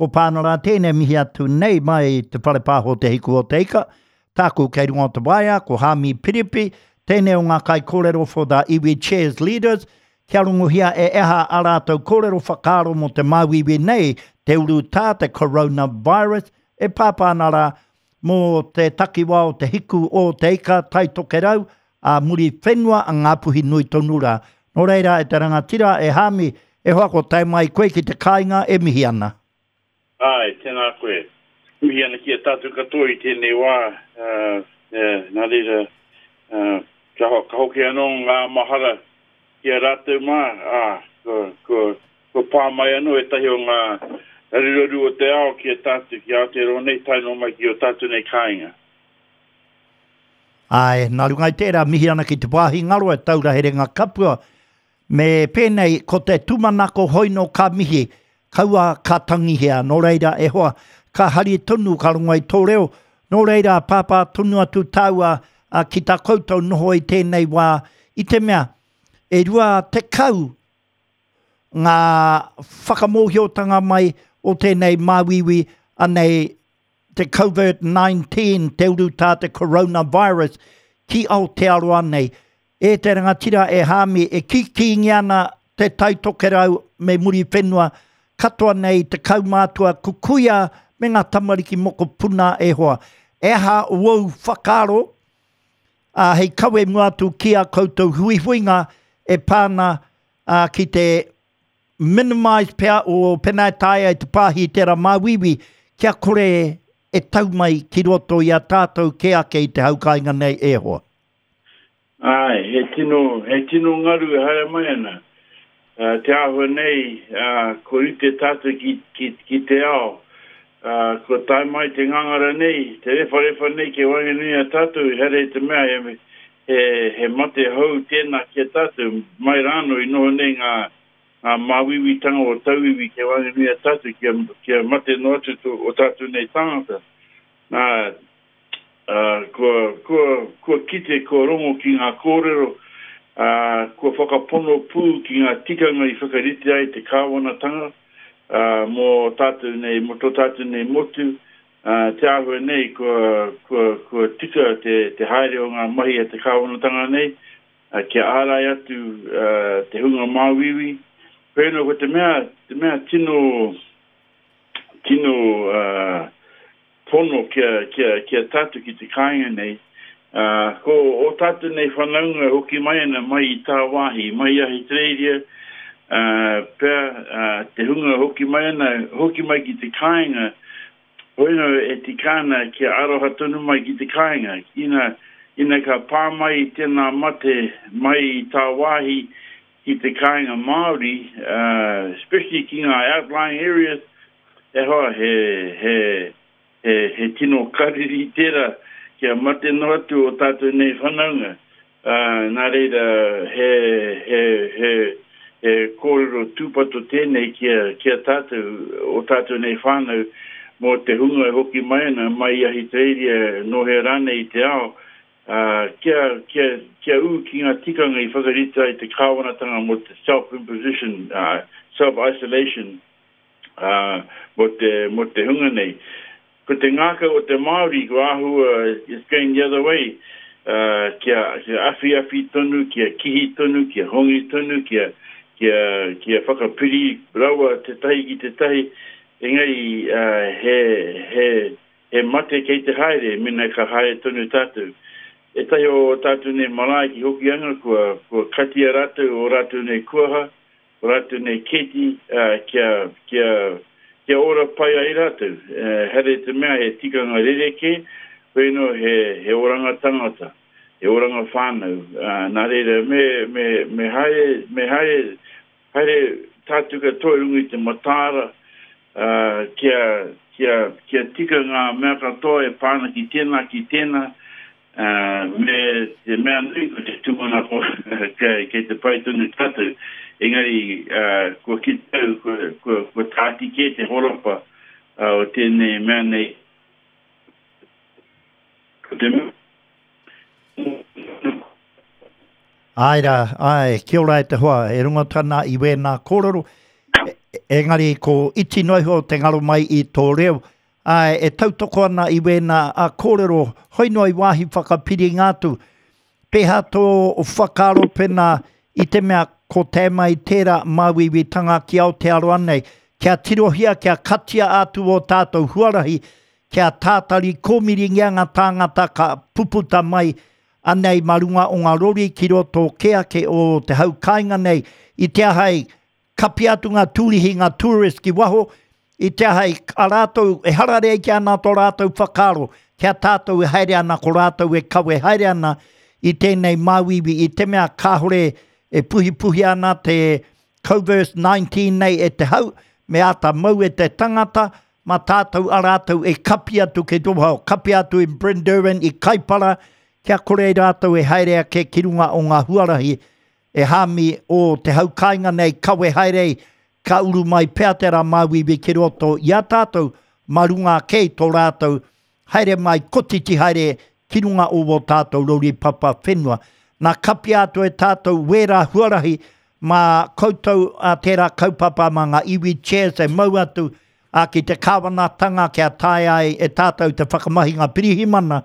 Ko Pānara tēnei mihi atu nei mai te Whare Pāho Te Hiku o Te Ika. Tāku kei runga o te waea, ko Hāmi Piripi, tēnei o ngā kaikōrero for the Iwi Chairs Leaders, kia rongohia e aha a rātou kōrero whakaaro mō te māuiui nei, te urutā, te coronavirus, e pāpā ana rā mō te takiwā o Te Hiku o Te Ika, Tai Tokerau, ā Muriwhenua, a Ngāpuhi nui tonu rā. Nō reira, e te rangatira, e Hāmi, e hoa ko tae mai koe ki te kāinga e mihi ana. Āe, tēnā koe. Mihi ana ki a tātou katoa i tēnei wā, nā reira, ka hoki anō ngā mahara ki a rātou mā, ā, kua, kua pā mai anō ētahi o ngā raruraru o te ao ki a tātou, ki Aotearoa nei, tae noa mai ki ō tātou nei kāinga. Āe, nā runga i tērā, mihi ana ki te wāhi ngaro e taura herenga kapua, Me pēnei, ko te tūmanako hoino ka mihi, kaua ka tangihia, nō reira, e hoa, ka hari tonu ka rongo i tō reo, nō reira, pāpā tonu atu tāua ki tā koutou noho i tēnei wā, i te mea, e 20 ngā whakamōhiotanga mai o tēnei māuiui, anei te Covert 19, te urutā te coronavirus ki Aotearoa nei. E te rangatira e Hāmi, e kīkīngia ana te Tai Tokerau me Muriwhenua, katoa nei te kaumātua kukuia me ngā tamariki mokopuna e hoa. E aha wou whakaaro, ā, hei kawe mua atu ki a koutou huihuinga e pā ana ki te Minimise pea o pena e taea e te pāhi i tērā māuiui kia kore e tau mai ki roto i a tātou kē ake i te hau kāinga nei e hoa. Āe, he tino, he tino ngaru e haere mai ana. Te āhua nei, kua rite tātou ki, ki, ki te ao. Kua tae mai te ngangara nei, te rewharewha nei ki waenganui i a tātou, ehara i te mea he, He, he mate hou tēnā ki a tātou, mai rānō i noho nei ngā, ngā māuiuitanga o tauiwi kei waenganui i a tātou kia, kia mate noa atu tō, o tātou nei tāngata. Nā, ā, kua, kua, kua kite, kua rongo ki ngā kōrero, ā, kua whakapono pū ki ngā tikanga i whakarite ai te kāwanatanga, ā, mō tātou nei, mō tō tātou nei motu, Ā, te āhua nei kua, kua, kua tika te, te haere o ngā mahi a te kāwanatanga nei, ā, kia ārai atu, ā, te hunga māuiui. Hoi anō, ko te mea, te mea tino, tino, ā, pono kia, kia, kia tātou ki te kāinga nei, ā, ko ō tātou nei whanaunga e hoki mai ana mai i tāwāhi, mai i Ahitereiria, ā, pea, ā, te hunga hoki mai ana, hoki mai ki te kāinga, hoi anō e tika ana kia aroha tonu mai ki te kāinga. Ina, ina ka pā mai tēnā mate mai i tāwāhi ki te kāinga Māori, ā, especially ki ngā outlying areas, e hoa, he, he, He, he tino kariri tērā kia mate noa atu ō tātou nei whanaunga. Ā, nā reira, he, he, he, he kōrero tūpato tēnei ki a, ki a tātou, ō tātou nei whānau, mō te hunga e hoki mai ana mai i Ahitereiria, nō hea rānei i te ao, ā, kia, kia, kia ū ki ngā tikanga i whakaritea ai te kāwanatanga mō te self-imposition, ā, self-isolation, ā, mō te, mō te hunga nei. Ko te ngākau o te Māori, ko āhua, it's going the other way, ā, kia, kia awhiawhi tonu, kia kihi tonu, kia hongi tonu, kia, kia, kia whakapiri rawa tētahi ki tētahi, engari, ā, he, he, he mate kei te haere, mena ka haere tonu tātou. Ētahi o ō tātou nei marae ki Hokianga, kua, kua katia rātou ō rātou nei kuaha, o rātou nei kēti, ā, kia, kia, kia ora pai ai rātou. Ehara i te mea he tikanga rerekē, hoi anō he, he oranga tangata, he oranga whānau, ā, nā reira, me, me, me haere, me haere, haere tātou katoa i runga i te mataara, ā, kia, kia, kia tika ngā mea katoa e pā ana ki tēnā, ki tēnā, Ā, me te mea nui ko te tūmanako kei te pai tonu tātou, engari, ā, kua kite au, kua, kua, kua tāti kē te horapa o tēnei mea nei. Ko te mea. Āe rā, āe, kia ora e te hoa, e rongo atu ana i wēnā kōrero. Engari ko iti noa iho te ngaro mai i tō reo. Āe, e tautoko ana i wēnā a kōrero, hoi noa i wāhi whakapiringa atu. Pēhā tō whakaaro pēnā i te mea ko tae mai tērā māuiuitanga ki Aotearoa nei, kia tirohia, kia katia atu ō tātou huarahi, kia tātari kōmiringia ngā tāngata ka puputa mai anei mā runga o ngā rori ki roto kē ake o te hau kāinga nei, i te aha ai, Kapia atu ngā tūrihi, ngā tourist ki waho, i te aha i a rātou, e hararei ana tō rātou whakaaro, ki a tātou e haere ana, ko rātou e kawe haere ana i tēnei māuiui, i te mea kāore e puhipuhia ana te Coverse 19 nei e te hau, me āta mau e te tangata, mā tātou a rātou e kapi atu ki te waho, kapi atu i Bryn i Kaipara, kia kore rātou e haere ake ki runga o ngā huarahi E Hāmi, o te hau kāinga nei kawe haere ai, ka uru mai pea te rā māuiui ki roto i a tātou, mā runga ake i tō rātou haere mai kotiti haere ki runga o wō tātou rori papa whenua. Nā kapia atu e tātou wērā huarahi mā koutou a tērā kaupapa mā ngā iwi chairs e mau atu a ki te kāwanatanga kia taea ai e tātou te whakamahi ngā pirihimana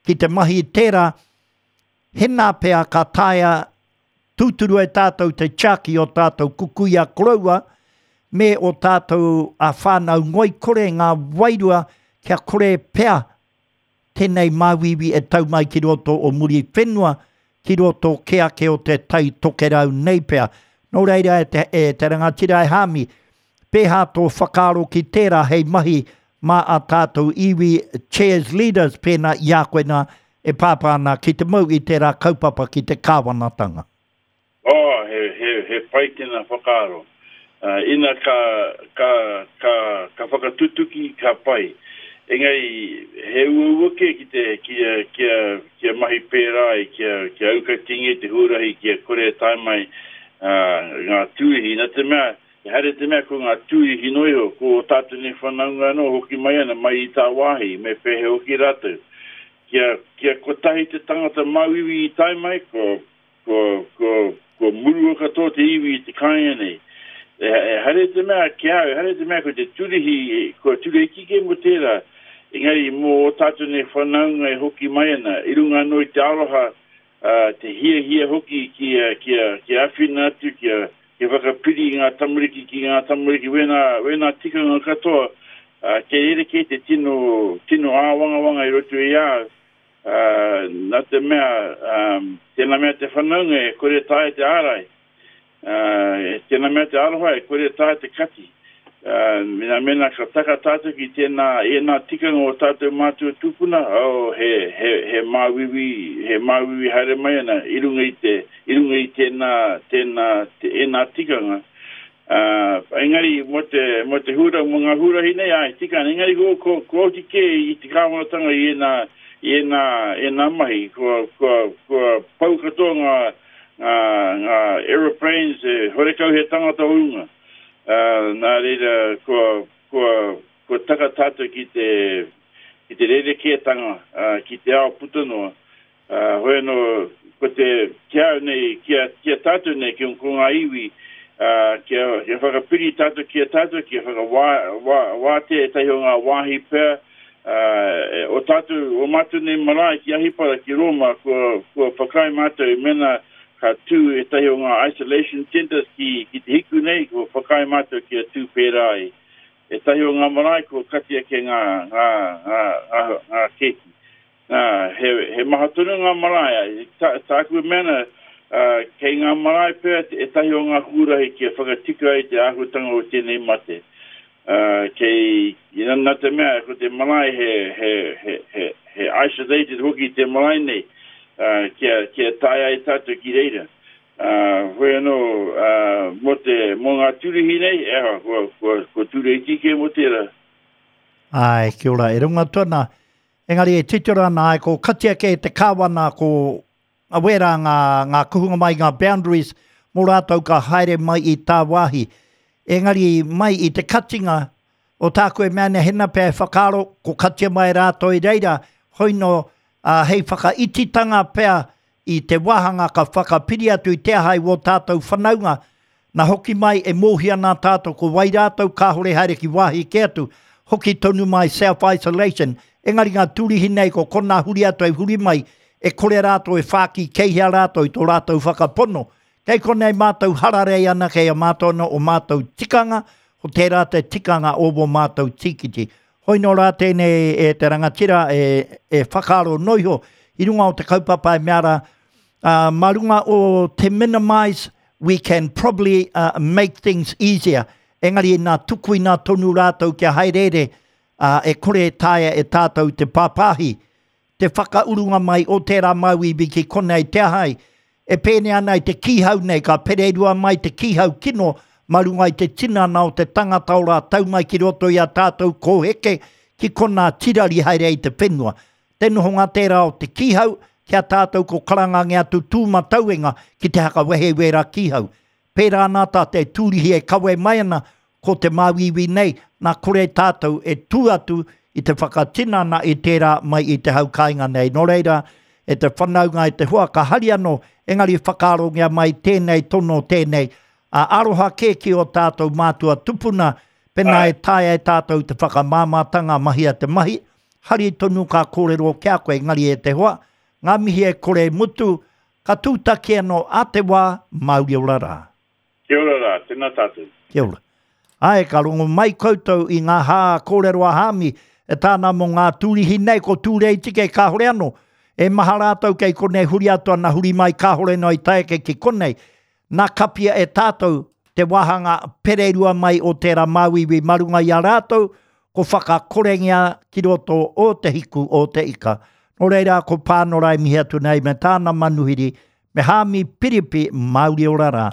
ki te mahi i tērā Hena pea ka taea tūturu e tātou te tiaki o tātou kukuia koroua me o tātou a whānau ngoikore ngā wairua kia kore pea tēnei māuiui e tau mai ki roto o Muriwhenua, ki roto kē ake o te Tai Tokerau nei pea. Nō reira e te, e te rangatira e Hāmi, Pēhā tō whakaaro ki tērā hei mahi mā ā tātou iwi chairs leaders pēnā i a koe nā e pāpā ana ki te mau i tērā kaupapa ki te kāwanatanga? Oh, he, he, he pai tēnā whakaaro. Uh, ina ka, ka, ka, ka whakatutuki, ka pai. Engari, he uaua kē ki te, kia, kia, kia mahi pērā ai, kia, kia aukatingia te huarahi, kia kore e tae mai uh, ngā tūihi. Nā te mea, Ehara i te mea ko ngā tūihi noa iho, ko ō tātou nei whanaunga anō hoki mai ana mai i tāwāhi, me pēhea hoki rātou. Kia, kia kotahi te tangata māuiui i tae mai, kua, kua, kua, kua murua katoa te iwi i te kāinga nei. Ehara i te mea ki a au, ehara i te mea ko te tūrihi, kua tūreiti kē mō tērā, engari mō ō tātou nei whanaunga e hoki mai ana, i runga anō i te aroha, ā, te hiahia hoki kia, kia, kia āwhina atu, kia, kia whakapiri i ngā tamariki ki ngā tamariki, wēnā, wēnā tikanga katoa, ā, kei rerekē te tino, tino āwangawanga i roto i a au, ā, nā te mea, ā, tēnā mea te whanaunga e kore taea te ārai. Ā, tēnā mea te aroha e kore taea te kati. Ā, mēnā, mēnā ka taka tātou ki tēnā, ēnā tikanga o tātou mātua tūpuna, oh, he, he, he māuiui, he māuiui haere mai ana i runga i te, i runga i tēnā, tēnā, te, ēnā tikanga. Ā, engari mō te, mō te hura, mō ngā huarahi nei, āe, tika ana, engari ko, ko, ko oti kē i te kāwanatanga i ēnā, i ēnā, ēnā mahi, kua, kua, kua pau katoa ngā, ngā, ngā aeroplanes, e, horekau he tangata o runga. Uh, nā reira, kua, kua, kua taka tātou ki te, ki te rerekētanga, uh, ki te ao puta noa. Uh, hoi anō, ko te, ki au nei, ki a, ki a tātou nei, ki ko ngā iwi, uh, kia, kia whakapiri tātou ki a tātou, kia whakawā, wā, wātea ētahi o ngā wāhi pea, Ā, o tātou, o mātou nei marae ki Ahipara, ki Rōma, kua, kua whakaae mātou mēnā ka tū ētahi o ngā isolation centres ki, ki te hiku nei, kua whakaae mātou kia tū pērā ai. Ētahi o ngā marae kua kati ake ngā, ngā, ngā, ngā, ngā kēti. Nā, he, he maha tonu ngā marae. Tā, tāku e mea ana, ā, kei ngā marae pea ētahi o ngā huarahi kia whakatika ai te āhuatanga o tēnei mate. Ā, kei, nā te mea, ko te marae he, he, he, he, he isolated hoki te marae nei, ā, kia, kia tae ai tātou ki reira. Ā, hoi anō, ā, mō te, mō ngā tūruhi nei, e aha, kua, kua, kua tūreiti kē mō tērā. Āe, kia ora, e rongo atu ana, Engari e titiro ana ai ko katia kē te kāwana ko wērā ngā, ngā kuhunga mai ngā boundaries mō rātou ka haere mai i tāwāhi. Engari mai i te katinga o tāku e mea nei hena pea e whakaaro ko katia mai rātou i reira, hoi nō, ā, hei whakaititanga pea i te wāhanga ka whakapiri atu i te aha i wō tātou whanaunga. Na hoki mai e mōhio ana tātou ko wai rātou kāore haere ki wāhi kē atu, hoki tonu mai self isolation, engari ngā tūrihi nei ko konā huri atu e huri mai, e kore rātou e whāki kei hea rātou i tō rātou whakapono. Kei konei mātou hararei ana kei a mātou anō o mātou tikanga, ko tērā te tikanga o wō mātou tīkiti. Hoi nō rā tēnei e te rangatira e, e whakaaro noiho i runga o te kaupapa e mea rā, uh, mā runga o te minimise, we can probably uh, make things easier. Engari nā tukuina tonu rātou kia haereere, uh, e kore e taea e tātou te pāpāhi te whakaurunga mai o tērā māuiui ki konei te aha ai. E pēnei ana i te kīhau nei, ka pererua mai te kīhau kino mā runga i te tinana o te tangata ora tau mai ki roto i a tātou kōheke ki konā tirari haere ai te whenua. Te nohonga tērā o te kīhau ki a tātou ko karangangia atu tūmatauenga ki te hakawehe i wērā kīhau. Pērā ana tā te tūrihi e kawe mai ana ko te māuiui nei, nā kore tātou e tū atu i te whakatinana i tērā mai i te hau kāinga nei. Nō reira, e te whanaunga, e te hoa, ka hari anō, engari whakaarongia mai tēnei tono tēnei, ā, aroha kē ki ō tātou mātua tupuna, pēnā e taea e tātou te whakamāmātanga mahia te mahi, hari tonu ka kōrero ki a koe, engari e te hoa, ngā mihi e kore e mutu, ka tūtaki anō ā te wā, mauri ora rā. Kia ora rā, tēnā tātou. Kia ora. Āe, ka rongo mai koutou i ngā hā kōrero a Hāmi, e tāna mō ngā tūrihi nei, ko Tūreitike kāore anō. E maha rātou kei konei huri atu ana huri mai kāore noa i tae ake ki konei. Nā kapia e tātou te wāhanga pererua mai o tērā māuiui mā runga i a rātou, ko whakakorengia ki roto o te hiku o te ika. Nō reira, ko Pānora e mihi atu nei me tāna manuhiri, Me Haami Piripi, Mauri ora rā.